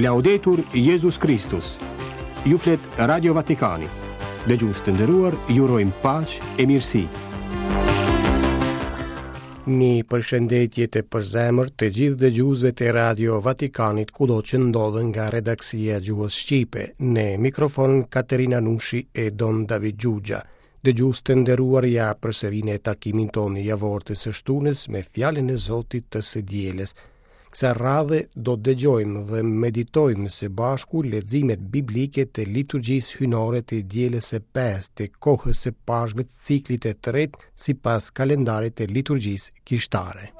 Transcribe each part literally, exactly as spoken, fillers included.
Laudetur Jezus Kristus. Ju flet Radio Vatikani. Dëgjues të nderuar, ju urojmë paqe e mirësi. Një përshëndetje të përzemërt të gjithë dëgjuesve të Radio Vatikanit kudo që ndodhen nga redaksia e gjuhës shqipe, në mikrofon Katerina Nushi e Don David Xhuxha. Dëgjues të nderuar, ja përsëri në takimin tonë javor të së shtunës me fjalën e Zotit të së dielës. Kësaj radhe do të dëgjojmë dhe meditojmë së bashku leximet biblike të liturgjisë hyjnore të dielës së pestë të kohës së Pashkëve të ciklit të tretë sipas kalendarit të liturgjisë kishtare.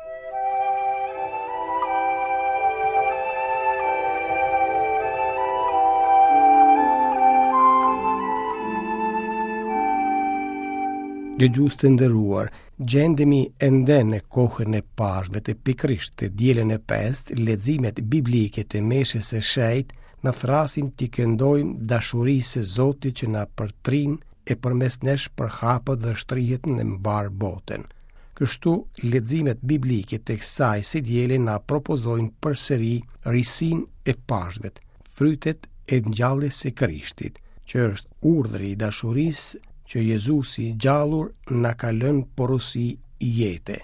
Dëgjues të nderuar, gjendemi ende në kohën e Pashkëve të pikërisht të dielën e pestë, leximet biblike të meshës së shenjtë na thërrasin t'i këndojmë dashurisë së Zotit që na përtrin e përmes nesh përhapet dhe shtrihet në mbarë botën. Kështu, leximet biblike të kësaj së diele na propozojnë përsëri risinë e Pashkëve, frytet e ngjalljes së Krishtit, që është urdhri i dashurisë që Jezusi i gjallur na ka lënë porosi jete.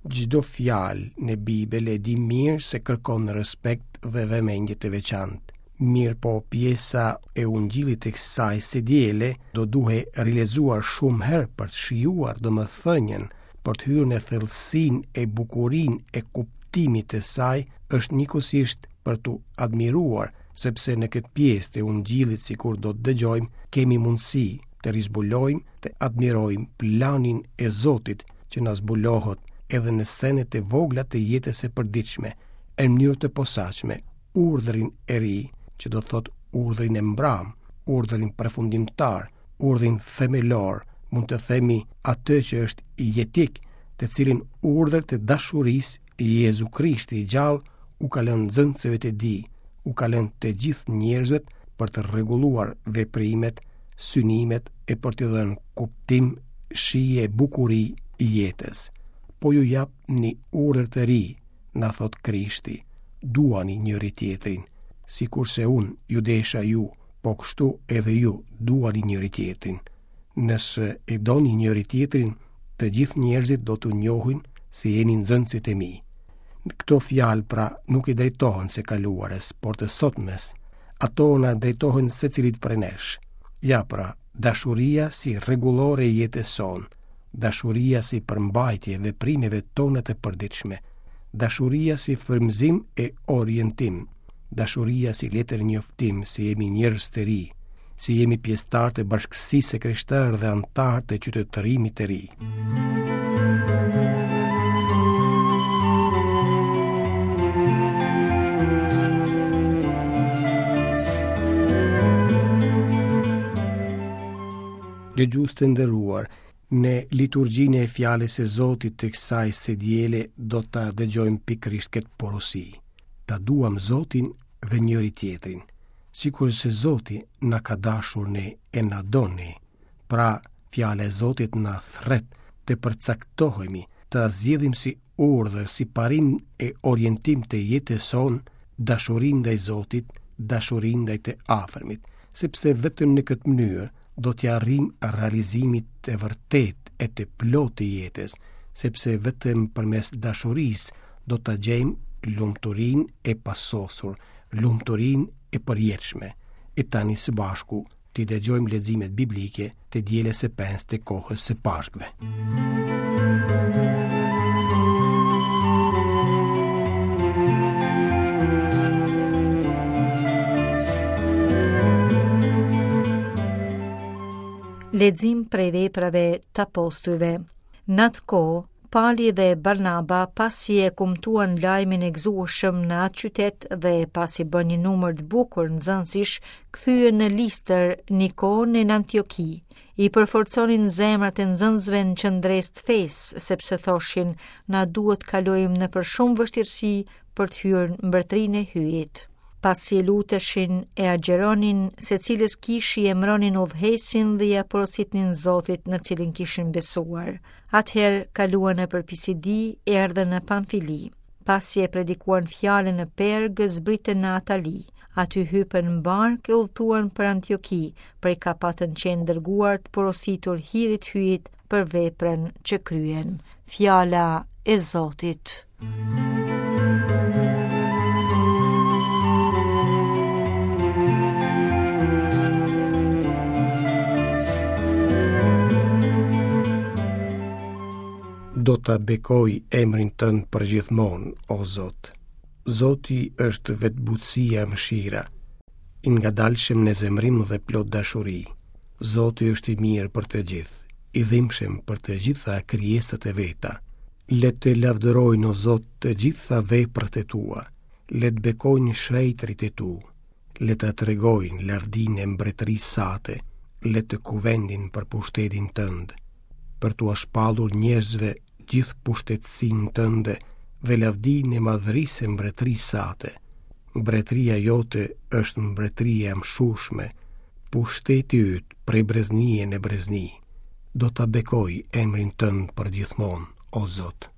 Çdo fjalë në Bibël e di mirë se kërkon respekt dhe vëmendje të veçantë. Mirëpo pjesa e ungjillit të kësaj së diele do duhej rilezuar shumë herë për të shijuar domethënien, për të hyrë në thellësinë e bukurinë e kuptimit të saj, është njëkohësisht për t'u admiruar, sepse në këtë pjesë të ungjillit, sikur do të dëgjojmë, kemi mundësi të rizbulojmë, të admirojmë planin e Zotit që na zbulohet edhe në senet e vogla të jetës së përditshme, në mënyrë të posaçme, urdhrin e ri, që do të thotë urdhrin e mbram, urdhrin përfundimtar, urdhrin themelor, mund të themi atë që është jetik, të cilin urdhër të dashurisë Jezu Krishti i gjallë u ka lënë nxënësve të tij, u ka lënë të gjithë njerëzve për të rregulluar veprimet, synimet e për t'i dhënë kuptim, shije e bukuri jetës. Po ju jap një urdhër të ri, na thot Krishti, duani njëri tjetrin, sikurse unë ju desha ju, po kështu edhe ju duani njëri tjetrin. Nëse e doni njëri tjetrin, të gjithë njerëzit do t'ju njohin se jeni nxënësit e mi. Këto fjalë pra nuk i drejtohen së kaluarës, por të sotmes. Ato na drejtohen secilit prej nesh. Ja pra, dashuria si rregullore e jetës sonë, dashuria si përmbajtje e veprimeve tona të përditshme, dashuria si frymëzim e orientim, dashuria si letër njoftim se jemi njerëz të ri, si jemi pjesëtar të bashkësisë së krishterë dhe anëtar të qytetërimit të ri. Dëgjues të nderuar, në liturgjinë e fjalës së Zotit të kësaj së diele do ta dëgjojmë pikërisht këtë porosi. Ta duam Zotin dhe njëri tjetrin, sikurse Zoti na ka dashur ne e na do ne. Pra, fjala e Zotit na thret të përcaktohemi, ta zgjedhim si urdhër, si parim e orientim të jetës sonë, dashurinë ndaj Zotit, dashurinë ndaj të afërmit, sepse vetëm në këtë mënyrë do t'ia arrijmë realizimit të vërtetë e të plotë të jetës, sepse vetëm përmes dashurisë do ta gjejmë lumturinë e pasosur, lumturinë e përjetshme. E tani së bashku t'i dëgjojmë leximet biblike të dielës së pestë të kohës së Pashkëve. Lexim prej veprave të apostujve. Në atë kohë, Pali dhe Barnaba, pasi e kumtuan lajmin e gëzueshëm në atë qytet dhe pasi bën një numër të bukur nxënësish, kthyen në Listër, Nikon e në Antioki. I përforconin zemrat e nxënësve në qëndresë të fesë, sepse thoshin, na duhet kalojmë nëpër shumë vështirësi për të hyrë në mbretërinë e Hyjit. Pasi e luteshin e agjëronin, secilës kishë i emëronin udhëheqësin dhe ia porositnin Zotit në cilin kishin besuar. Atëherë kaluan nëpër Pisidi, erdhën në Pamfili. Pasi e predikuan fjalën në Perg, zbritën në Atali. Aty hypën në barkë e udhëtuan për Antioki, prej ka patën qenë dërguar të porositur hirit Hyjit për veprën që kryen. Fjala e Zotit. Do ta bekoj emrin tënd përgjithmonë, o Zot. Zoti është vetë butësia e mëshira, i ngadalshëm në zemërim dhe plot dashuri. Zoti është i mirë për të gjithë, i dhimbshëm për të gjitha krijesat e veta. Le të lavdërojnë, o Zot, të gjitha veprat e tua, le të bekojnë shenjtërit e tu, le të tregojnë lavdinë e mbretërisë sate, le të kuvendin për pushtetin tënd, për t'ua shpallur njerëzve gjithë pushtetësinë tënde dhe lavdinë e madhërisë së mbretërisë sate. Mbretëria jote është mbretëria e mëshueshme, pushteti yt prej breznie në brezni. Do ta bekoj emrin tënd përgjithmonë, o Zot.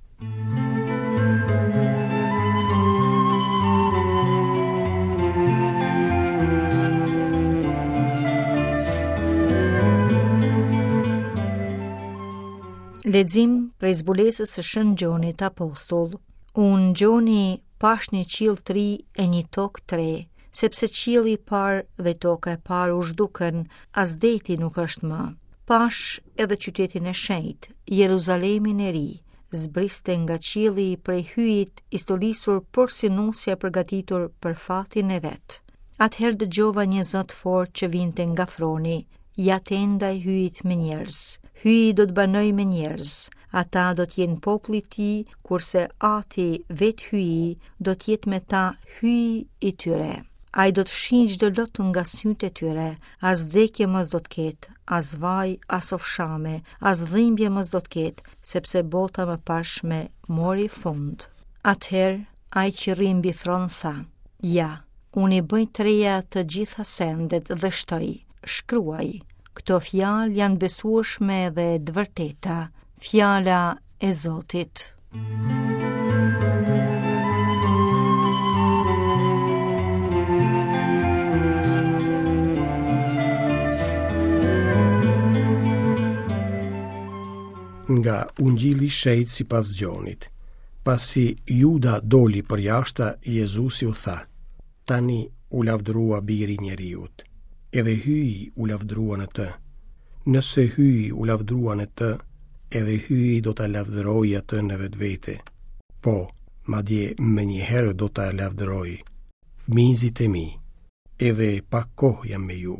Lexim prej zbulesës së Shën Gjonit Apostull. Unë, Gjoni, pash një qiell të ri e një tokë të re, sepse qielli i parë dhe toka e parë u zhdukën, as deti nuk është më. Pash edhe qytetin e shenjtë, Jeruzalemin e ri, zbriste nga qielli prej Hyjit i stolisur porsi nusja e përgatitur për fatin e vet. Atëherë dëgjova një zë të fortë që vinte nga froni: Ja tenda e Hyjit me njerëz. Hyji do të banojë me njerëz. Ata do të jenë populli i tij, kurse Ati, vetë Hyji, do të jetë me ta Hyji i tyre. Ai do të fshijë çdo lot nga sytë e tyre, as vdekje më s'do të ketë, as vaj, as ofshame, as dhimbje më s'do të ketë, sepse bota e mëparshme mori fund. Atëherë, ai që rri mbi fron tha: Ja, unë i bëj të reja të gjitha sendet dhe shtoi: Shkruaj, këto fjalë janë besueshme dhe të vërteta. Fjala e Zotit. Nga Ungjilli i Shenjtë sipas Gjonit. Pasi Juda doli përjashta, Jezusi u tha: Tani u lavdërua biri i njeriut, edhe Hyji u lavdërua në të. Nëse Hyji u lavdërua në të, edhe Hyji do ta lavdërojë atë në vetvete. Po, madje menjëherë do ta lavdërojë. Fëmijëzit e mi, edhe pak kohë jam me ju.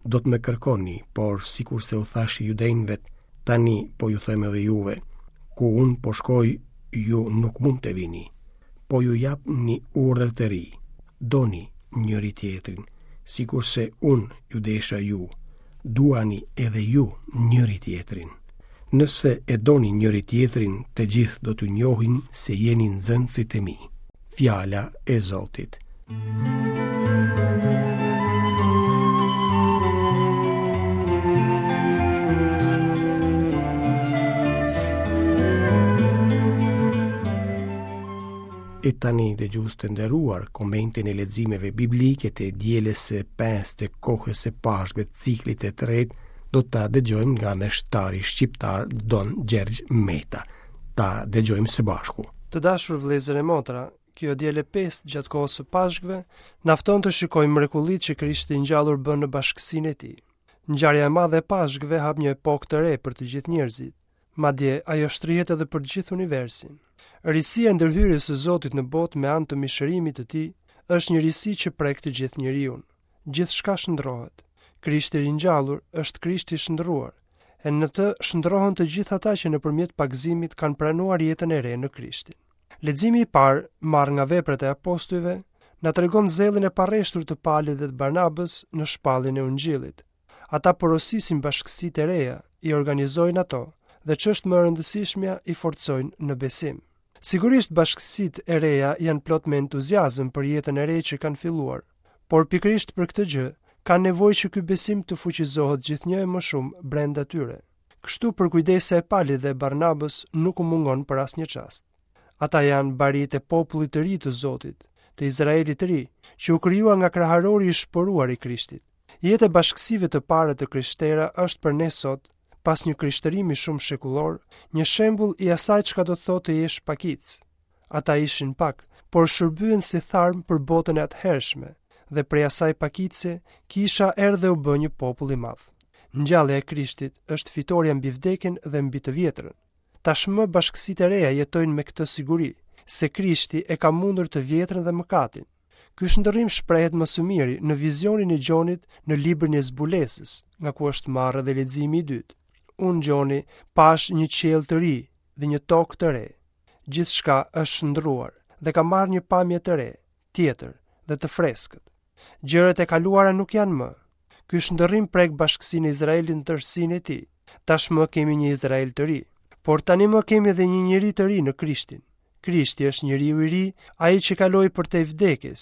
Do të më kërkoni, por sikurse u thash judenjve, tani po ju them edhe juve, ku unë po shkoj, ju nuk mund të vini. Po ju jap një urdhër të ri: doni njëri tjetrin, sikurse unë ju desha ju, duani edhe ju njëri tjetrin. Nëse e doni njëri tjetrin, të gjithë do t'ju njohin se jeni nxënësit e mi. Fjala e Zotit. E tani, dëgjues të nderuar, komentin e leximeve biblike të dielës së pestë të kohës së Pashkëve të ciklit të tretë do ta dëgjojmë nga meshtari shqiptar Don Gjergj Meta. Ta dëgjojmë së bashku. Të dashur vëllezër e motra, kjo diel e pestë gjatë kohës së Pashkëve na fton të shikojmë mrekullitë që Krishti i ngjallur bën në bashkësinë e tij. Ngjarja e madhe e Pashkëve hap një epokë të re për të gjithë njerëzit. Madje ajo shtrihet edhe për gjithë universin. Risia e ndërhyrjes së Zotit në botë me anë të mishërimit të tij është një risi që prek të gjithë njeriun. Gjithçka shndrohet. Krishti i ringjallur është Krishti i shndruar, e në të shndrohen të gjithë ata që nëpërmjet pagëzimit kanë pranuar jetën e re në Krishtin. Leximi i parë, marrë nga veprat e apostujve, na tregon zellin e parreshtur të Palit dhe të Barnabës në shpalljen e Ungjillit. Ata porosisin bashkësitë e reja, i organizojnë ato dhe ç'është më e rëndësishmja, i forcojnë në besim. Sigurisht bashkësitë e reja janë plot me entuziazëm për jetën e re që kanë filluar, por pikërisht për këtë gjë kanë nevojë që ky besim të fuqizohet gjithnjë e më shumë brenda tyre. Kështu përkujdesja e Palit dhe Barnabës nuk u mungon për asnjë çast. Ata janë barit e popullit të ri të Zotit, të Izraelit të ri, që u krijua nga kraharori i shporuar i Krishtit. Jeta e bashkësive të para të krishtera është për ne sot, pas një krishtërimi shumë shekullor, një shembull i asaj çka do të thotë të jesh pakicë. Ata ishin pak, por shërbyen si tharm për botën e atëhershme, dhe prej asaj pakice kisha erdhi u bë një popull i madh. Ngjallja e Krishtit është fitorja mbi vdekjen dhe mbi të vjetrën. Tashmë bashkësitë e reja jetojnë me këtë siguri, se Krishti e ka mundur të vjetrën dhe mëkatin. Ky shndërrim shprehet më së miri në vizionin e Gjonit në librin e zbulesës, nga ku është marrë edhe leximi i dytë. Unë Gjoni pash një qiell të ri dhe një tokë të re. Gjithçka është shndruar dhe ka marrë një pamje të re, tjetër dhe të freskët. Gjërat e kaluara nuk janë më. Ky shndërrim prek bashkësinë e Izraelit në tërësinë e tij. Tashmë kemi një Izrael të ri, por tani më kemi edhe një njeri të ri në Krishtin. Krishti është njeriu i ri, ai që kaloi përtej vdekjes,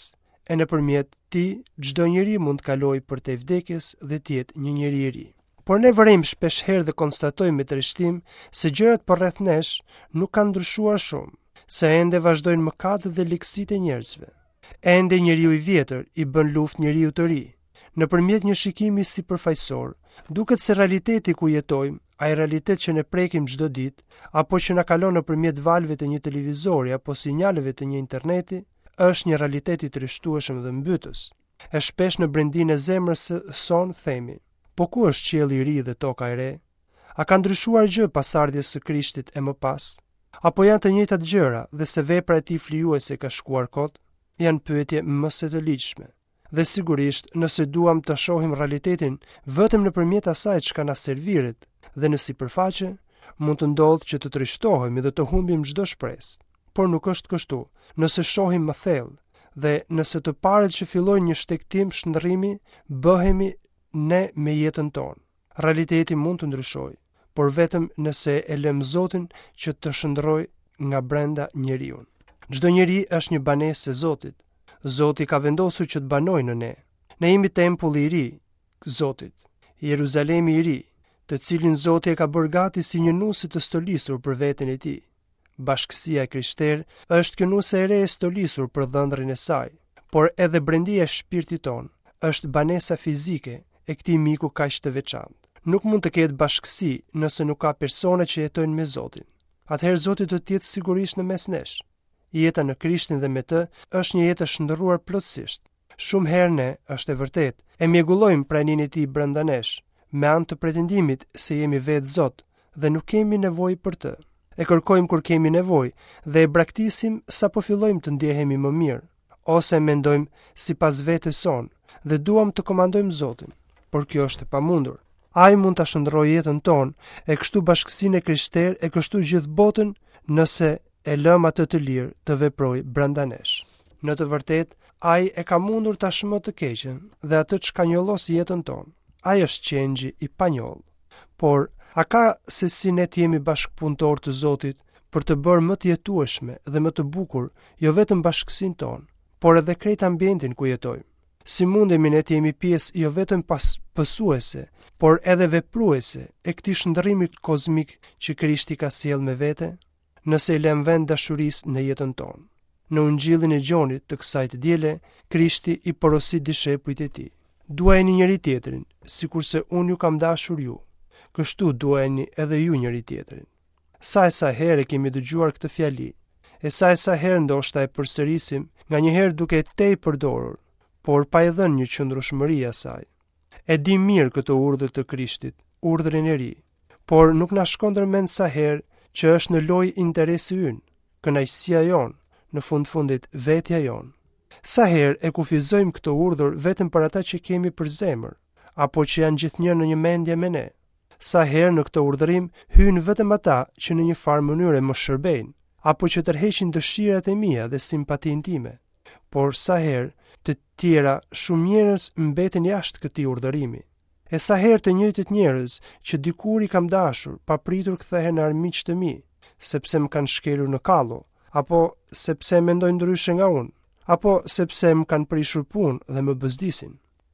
e nëpërmjet tij çdo njeri mund të kalojë përtej vdekjes dhe të jetë një njeri i ri. Por ne vërejmë shpesh herë dhe konstatojmë me trishtim se gjërat përreth nesh nuk kanë ndryshuar shumë, se ende vazhdojnë mëkatet dhe ligësitë e njerëzve. Ende njeriu i vjetër i bën luftë njeriu të ri. Nëpërmjet një shikimi sipërfaqësor, duket se realiteti ku jetojmë, ai realitet që ne prekim çdo ditë, apo që na kalon nëpërmjet valëve të një televizori apo sinjaleve të një interneti, është një realitet i trishtueshëm dhe mbytës. E shpesh në brendinë e zemrës sonë themi, po ku është qielli i ri dhe toka e re? A ka ndryshuar gjë pas ardhjes së Krishtit e më pas? Apo janë të njëjtat gjëra dhe se vepra e tij flijuese ka shkuar kot? Janë pyetje më se të ligjshme. Dhe sigurisht, nëse duam të shohim realitetin vetëm nëpërmjet asaj çka na serviret dhe në sipërfaqe, mund të ndodhë që të trishtohemi dhe të humbim çdo shpresë. Por nuk është kështu. Nëse shohim më thellë dhe nëse të parët që fillojnë një shtegtim shndërrimi, bëhemi ne me jetën tonë. Realiteti mund të ndryshojë, por vetëm nëse e lëm Zotin që të shndërrojë nga brenda njeriun. Çdo njeri është një banesë e Zotit. Zoti ka vendosur që të banojë në ne. Ne jemi tempulli i ri Zotit, Jeruzalemi i ri, të cilin Zoti e ka bërë gati si një nuse të stolisur për veten e tij. Bashkësia e krishterë është kjo nuse e re e stolisur për dhëndrin e saj, por edhe brendia e shpirtit ton është banesa fizike e këtij miku kaq të veçantë. Nuk mund të ketë bashkësi nëse nuk ka persona që jetojnë me Zotin. Atëherë Zoti do të jetë sigurisht në mes nesh. Jeta në Krishtin dhe me të është një jetë e shndërruar plotësisht. Shumë herë ne, është e vërtetë, e mjegullojmë praninë e tij brenda nesh, me anë të pretendimit se jemi vetë Zot dhe nuk kemi nevojë për të. E kërkojmë kur kemi nevojë dhe e braktisim sapo fillojmë të ndjehemi më mirë, ose mendojmë sipas vetes sonë dhe duam të komandojmë Zotin, por kjo është e pamundur. Ai mund ta shndërrojë jetën tonë, e kështu bashkësinë e krishterë, e kështu gjithë botën, nëse e lëm atë të lirë të veprojë brenda nesh. Në të vërtetë, ai e ka mundur tashmë të keqen dhe atë çka njollos jetën tonë. Ai është qengji i panjollë. Por, a ka se si ne të jemi bashkëpunëtor të Zotit për të bërë më të jetueshme dhe më të bukur jo vetëm bashkësinë tonë, por edhe krejt ambientin ku jetojmë? Si mundemi ne të jemi pjesë jo vetëm pas pësuese, por edhe vepruese e këtij shndërrimi kozmik që Krishti ka sjellë me vete, nëse i lëm vend dashurisë në jetën tonë. Në ungjillin e Gjonit të kësaj të diele, Krishti i porosit dishepujt e tij. Duajeni njëri tjetrin, sikurse unë ju kam dashur ju. Kështu duajeni edhe ju njëri tjetrin. Sa e sa herë kemi dëgjuar këtë fjali, e sa e sa herë ndoshta e përsërisim, nganjëherë duke e tej përdorur, por pa i dhënë një qëndrueshmëri asaj. E di mirë këtë urdhër të Krishtit, urdhrin e ri, por nuk na shkon ndërmend sa herë që është në lojë interesi ynë, kënaqësia jonë, në fund fundit vetja jonë. Sa herë e kufizojmë këtë urdhër vetëm për ata që kemi për zemër, apo që janë gjithnjë në një mendje me ne. Sa herë në këtë urdhërim hyjnë vetëm ata që në një farë mënyre më shërbejnë, apo që tërheqin dëshirat e mia dhe simpatinë time. Por sa herë të tjera shumë njerëz mbeten jashtë këtij urdhërimi. E sa herë të njëjtët njerëz që dikur i kam dashur, papritur kthehen në armiq të mi, sepse më kanë shkelur në kallo, apo sepse mendojnë ndryshe nga unë, apo sepse më kanë prishur punë dhe më bëzdisin.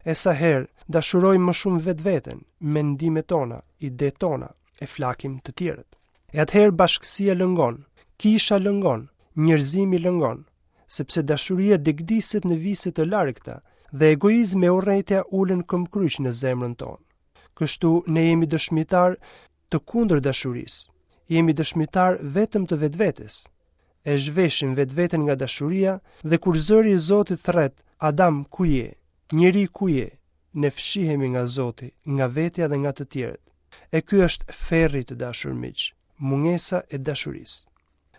E sa herë dashurojmë më shumë vetveten, mendimet tona, idetë tona, e flakim të tjerët. E atëherë bashkësia lëngon, kisha lëngon, njerëzimi lëngon, sepse dashuria degdiset në vise të largëta dhe egoizmi e urrejtja ulen këmbkryq në zemrën tonë. Kështu ne jemi dëshmitar të kundër dashurisë. Jemi dëshmitar vetëm të vetvetes. E zhveshim vetveten nga dashuria dhe kur zëri i Zotit thret, Adam, ku je? Njeri, ku je? Ne fshihemi nga Zoti, nga vetja dhe nga të tjerët. E ky është ferri, të dashur miq, mungesa e dashurisë.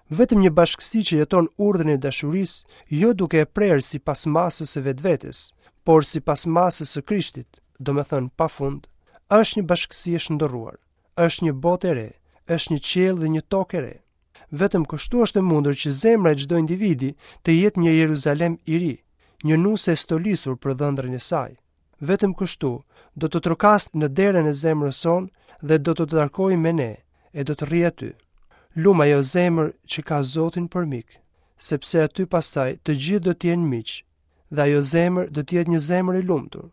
Vetëm një bashkësi që jeton urdhrin e dashurisë, jo duke e prerë sipas masës së vetvetes, por sipas masës së Krishtit, domethënë pafund, është një bashkësi e shndërruar, është një botë e re, është një qiell dhe një tokë e re. Vetëm kështu është e mundur që zemra e çdo individi të jetë një Jeruzalem i ri, një nuse e stolisur për dhëndrin e saj. Vetëm kështu do të trokasë në derën e zemrës sonë dhe do të takojë me ne e do të rrijë aty. Lum ajo zemër që ka Zotin për mik, sepse aty pastaj të gjithë do të jenë miq dhe ajo zemër do të jetë një zemër e lumtur.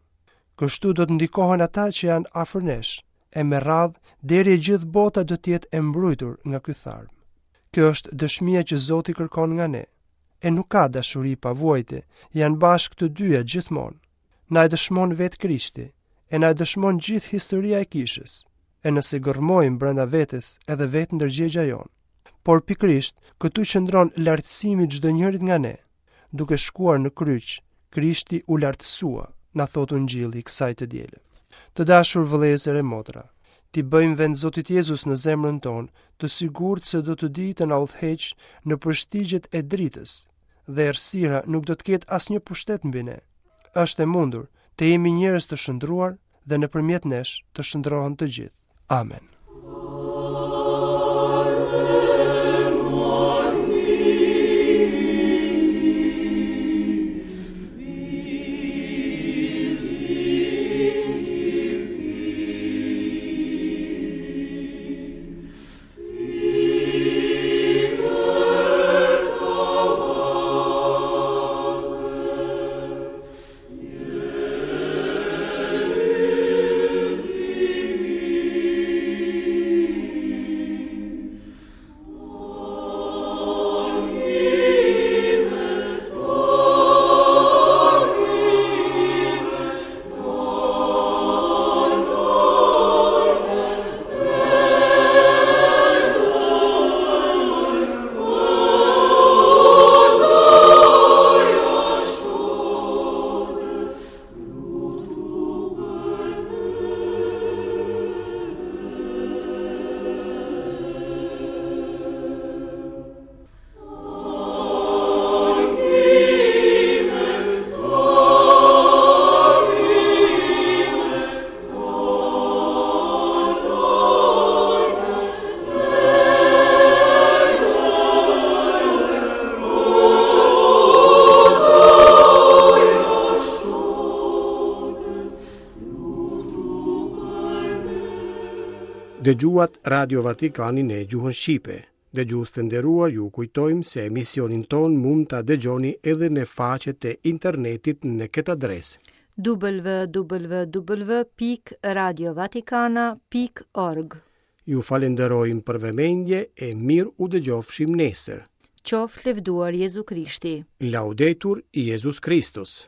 Kështu do të ndikohen ata që janë afër nesh, e me radhë deri e gjithë bota do të jetë e mbrujtur nga ky tharm. Kjo është dëshmia që Zoti kërkon nga ne. E nuk ka dashuri pa vuajtje, janë bashkë të dyja gjithmonë. Na e dëshmon vetë Krishti, e na e dëshmon gjithë historia e kishës, e nëse gërmojmë brenda vetes edhe vetë ndërgjegja jonë. Por pikërisht këtu qëndron lartësimi i çdo njërit nga ne. Duke shkuar në kryq, Krishti u lartësua, na thotë Ungjilli i kësaj të diele. Të dashur vëllezër e motra, ti bëjmë vend Zotit Jezus në zemrën tonë, të sigurt se do të dijë të na udhëheq në përshtigjet e dritës, dhe errësira nuk do të ketë asnjë pushtet mbi ne. Është e mundur të jemi njerëz të shndruar dhe nëpërmjet nesh të shndrohen të gjithë. Amen. Dëgjuat Radio Vatikanin në gjuhën shqipe. Dëgjues të nderuar, ju kujtojmë se emisionin ton mund ta dëgjoni edhe në faqet e internetit në këtë adresë: w w w pikë radiovatikana pikë org. Ju falenderojmë për vëmendje e mirë u dëgjofshim nesër. Qoftë lëvduar Jezu Krishti. Laudetur Jezus Kristus.